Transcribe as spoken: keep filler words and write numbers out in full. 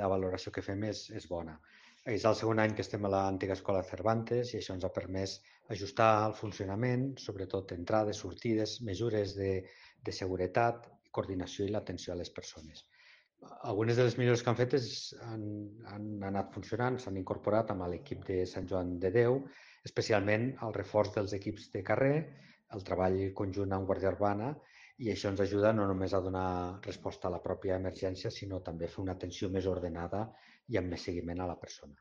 la valoració que fem és, és bona. És el segon any que estem a l'antiga escola Cervantes i això ens ha permès ajustar el funcionament, sobretot entrades, sortides, mesures de, de seguretat, coordinació i l'atenció a les persones. Algunes de les millores que han fet és, han, han anat funcionant, s'han incorporat amb l'equip de Sant Joan de Déu, especialment el reforç dels equips de carrer, el treball conjunt amb Guàrdia Urbana, i això ens ajuda no només a donar resposta a la pròpia emergència, sinó també a fer una atenció més ordenada i amb més seguiment a la persona.